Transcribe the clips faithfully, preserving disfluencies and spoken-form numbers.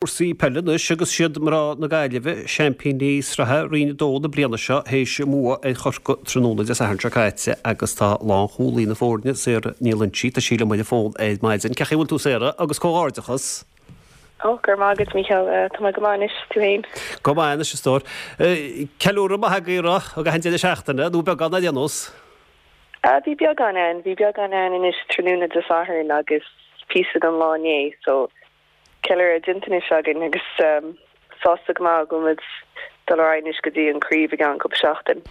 Cúrsaí peile anois agus siad mná na Gaillimhe, seaimpíní sraithe Roinn a dó na bliana seo, théis a mbua ar Chorcaigh tráthnóna Dé Sathairn seo caite agus tá lánchúlaí na foirne, Sarah Ní Loinsigh, tá sí liom ar an bhfón ar maidin. Cén chaoi a bhfuil tú Sarah agus comhghairdeachas. Ó, go raibh maith agat Mícheál, tá mé go maith anois, tú féin? Go maith anois a stór. Ceiliúradh maith agaibh an raibh i gcaitheamh an deireadh seachtaine, nó beagán ar aon nós? Bhí beagán ann, bhí beagán ann anois tráthnóna Dé Sathairn agus píosa den lá inné, so ceiliúradh déanta anois againn agus sásta go maith go bhfuil muid dul ar aghaidh anois go dtí an craobh i gceann cúpla seachtain.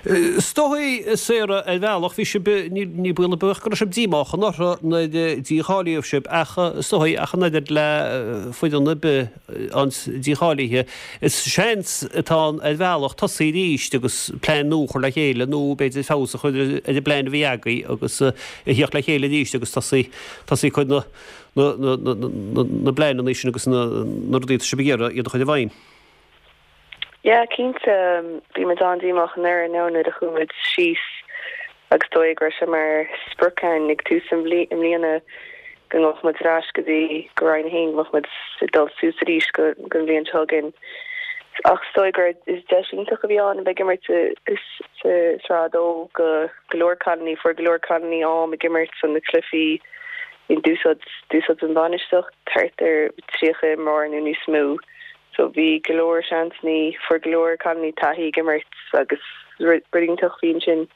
Is dóigh, Sarah, ar bhealach, bhí sibh, ní baol ar bith go raibh sibh díomách anuraidh nuair a dícháilíodh sibh ach is dóigh ach an oiread le foireann ar bith an dícháilithe, is seans atá ann ar bhealach tosaí arís agus plean nua a chur le chéile nó b'fhéidir feabhas a chur ar an bplean a bhí agaibh agus a theacht le chéile arís agus tosaí tosaí ag cur na na bpleananna sin agus na rudaí atá sibh ag iarraidh iad a chur i bhfeidhm. Yeah, cinnte, bhí muid an-díomách anuraidh now nuair a chuaigh muid síos agus is dóigh go raibh sé mar sprioc againn ag tús na bliana go ngabhfadh muid ar ais go dtí go Roinn a haon, go mbeadh muid ag dul suas arís go don bhliain seo chugainn. Ach is dóigh gur is deis iontach a bhí ann a bheith ag imirt sa Sraith a dó go go leor cailíní, fuair go leor cailíní am ag imirt sna cluichí D'úsáid d'úsáid an bhainistíocht thart ar tríocha imreoir nó níos mó so bhí go leor seansanna, fuair go leor cailíní taithí ag imirt agus rud iontach a bhí ansin.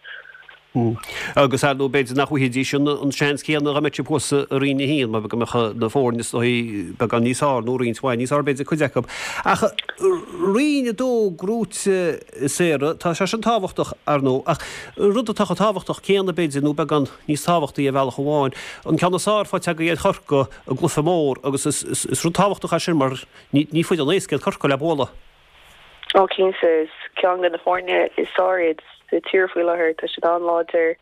Agus ar ndóigh b'fhéidir nach bhfaighidís an seans céanna dá mbeadh siad thuas i Roinn a haon mar go mbeadh na foirne is dóigh beagán níos fearr nó roinnt mhaith níos fearr b'fhéidir cuid acu. Ach Roinn a dó gnóite Sarah, tá sé sin tábhachtach ar ndóigh ach rud atá chomh tábhachtach céanna b'fhéidir nó beagán níos tábhachtaí ar bhealach amháin, an ceann is fearr faighte agaibh ar Chorcaigh i gcluiche mór agus is rud tábhachtach é sin mar ní foireann éasca iad Corcaigh le bualadh. Ó cinnte, is ceann de na foirne is fearr iad sa tír faoi láthair, tá siad an-láidir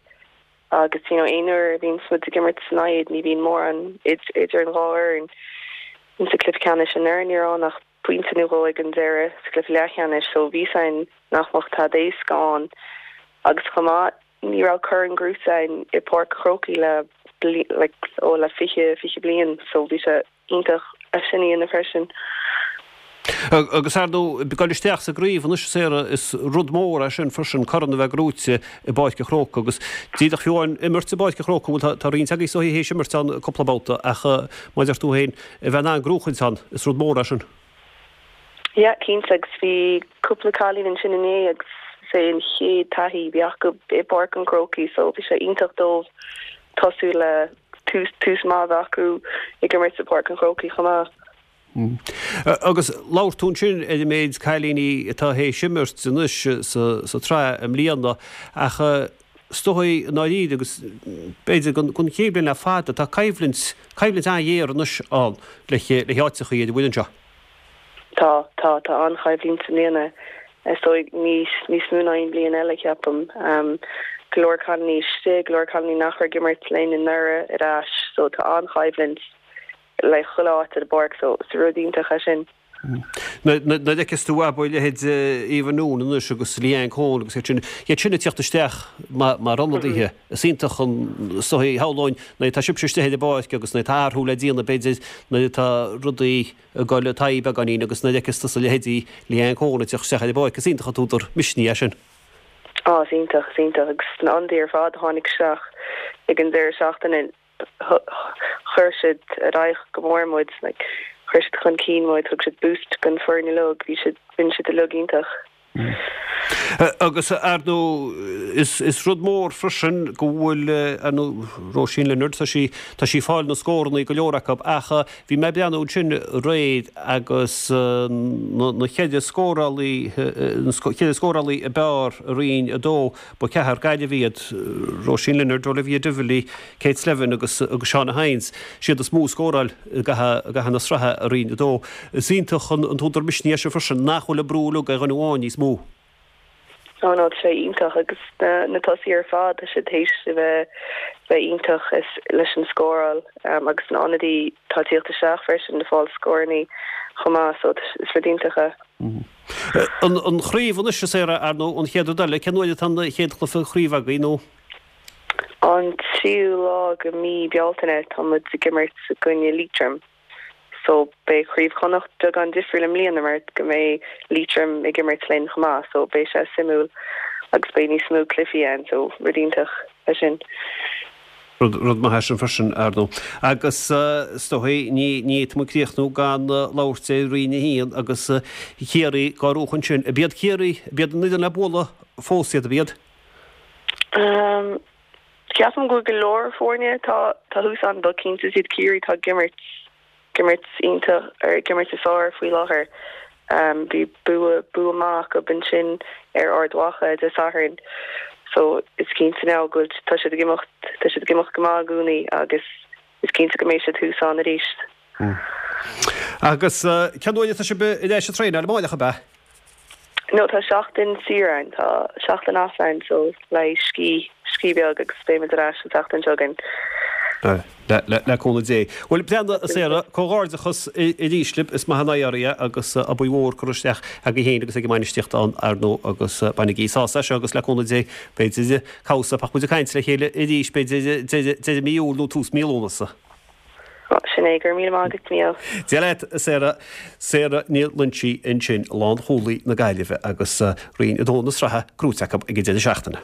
agus you know aon uair a bhíonn muid ag imirt ina n-aghaidh ní bhíonn mórán idir an dhá fhoireann. Insa cluiche ceannais anuraidh ní raibh ann ach pointe nó dhó ag an deireadh sa cluiche leathcheannais so bhí a fhios againn nach mbeadh tada éasca ann agus chomh maith Ní raibh corn gnóite againn i bPáirc an Chrócaigh le like ó le fiche fiche bliain so bhí sé iontach é sin a dhéanamh freisin. Agus ar ndóigh, ag dul isteach sa gcraobh anois Sarah, is rud mór é sin freisin, corn a bheith gnóite i bPáirc an Chrócaigh agus díreach fiú amháin imirt i bPáirc an Chrócaigh, bhuel tá roinnt agaibh is dóigh théis imirt ann cúpla babhta ach mar a deir tú féin, a bheith in ann gnóchaint ann, is rud mór é sin. Yeah, cinnte, agus bhí cúpla cailín ansin inné agus is é an chéad taithí a bhí acu i bPáirc an Chrócaigh so bhí sé iontach dóibh tosú le tús tús maith a bheith acu ag imirt i bPáirc an Chrócaigh chomh maith. Agus labhair tú ansin ar an méid cailíní atá théis imirt anois sa sa tsraith i mbliana ach is dóigh i ndáiríre agus b'fhéidir don chéad bhliain le fada tá coimhlint coimhlint an-ghéar anois ann le le háiteachaí ar an bhfoireann seo. Tá, tá, tá an-choimhlint i mbliana, is dóigh, níos, níos mó ná aon bhliain eile, ceapaim. Go leor cailíní istigh, go leor cailíní nach raibh ag imirt linn anuraidh ar ais, so tá an-choimhlint le chuile áit ar an bpáirc, so is rud iontach é sin. Nuair a fheiceas tú abair leithéid Eva Noone anois agus Leanne Coen agus iad sin, iad sin ag teacht isteach mar ionadaithe, is iontach an, is dóigh, shamhlóinn, nuair atá sibhse istigh ar an bpáirc agus nuair atá athrú le déanamh b'fhéidir, nuair atá rudaí ag dul i dtaobh beagáinín agus nuair a fheiceas tusa leithéidí Leanne Coen ag teacht isteach ar an bpáirc, is iontach an t-údar misnigh é sin. Á, is iontach, is iontach agus na hionadaithe ar fad a tháinig isteach ag an deireadh seachtaine, chuir siad ar aghaidh go mór muid, like, chuir siad chun cinn muid, thug siad boost don foireann uilig, bhí siad, rinne siad uilig iontach. Agus, ar ndóigh, is rud mór freisin go bhfuil, ar ndóigh, Róisín Leonard, tá sí, tá sí ag fáil na scórannaí, go leor acu, ach bhí mé ag breathnú ansin aréir agus na ceithre scórálaí, na ceithre scórálaí ab fhearr i Roinn a dó, ba ceathrar Gaillimh iad, Róisín Leonard, Olivia Divilly, Kate Slevin agus agus Shauna Hynes, siad is mó a scóráil i gcaitheamh na sraithe i Roinn a dó. Is iontach an t-údar misnigh é sin freisin nach bhfuil an brú uilig ar dhuine amháin níos mó. Ó no, tá sé iontach agus na na tosaithe ar fad, tá siad théis a bheith bheith iontach leis an scóráil agus na ionadaithe atá ag tíocht isteach freisin ag fáil scórannaí chomh maith so is rud iontach é. An an chraobh anois a Sarah, ar ndóigh, an chéad rud eile, cén uair atá an chéad chluiche craoibhe agaibh nó? An tríú lá de mí Bealtaine tá muid ag imirt i gcoinne Liatroim. So beidh Craobh Chonnacht beagán difriúil i mbliana mar go mbeidh Liatroim ag imirt linn chomh maith so beidh sé suimiúil agus beidh níos mó cluichí ann so rud iontach é sin. Rud rud maith é sin freisin ar ndóigh. Agus is dóigh ní ní fhéadfaidh muid críochnú gan labhairt ar Roinn a haon agus Ciarraí dhá bhuachan ansin. Ab iad Ciarraí, ab iad an fhoireann le bualadh fós iad, ab iad? Um, Ceapaim go bhfuil go leor foirne tá tá thuas ann but cinnte is iad Ciarraí tá ag imirt ag imirt iontach ar ag imirt is fearr faoi láthair. Um, bhí bua bua maith acu ansin ar Ard Mhacha Dé Sathairn so is cinnte now go bhfuil tá siad ag imeacht tá siad ag imeacht go maith i gcónaí agus is cinnte go mbeidh siad thuas ann arís. Agus cén uair atá sibh ar ais ag traenáil amárach ab ea? No tá seachtain saor ann tá seachtain off ann so le scíth scíth beag agus beimid ar ais an tseachtain seo chugainn. Le le le cúnamh Dé. Bhuel breathnaigh a Sarah, comhghairdeachas arís libh is maith an éirí é agus obair mhór curtha isteach agaibh féin agus ag an mbainistíocht ann ar ndóigh agus bainigí sásamh as seo agus le cúnamh Dé b'fhéidir cabhsa beidh muid ag caint le chéile arís b'fhéidir deireadh mí Iúil nó tús mí Lúnasa. Sin é go raibh míle maith agat Mícheál. Dia leat a Sarah. Sarah Ní Loinsigh ansin, lánchúlaí na Gaillimhe agus Roinn a dó na sraithe gnóthaithe acu ag an deireadh seachtaine.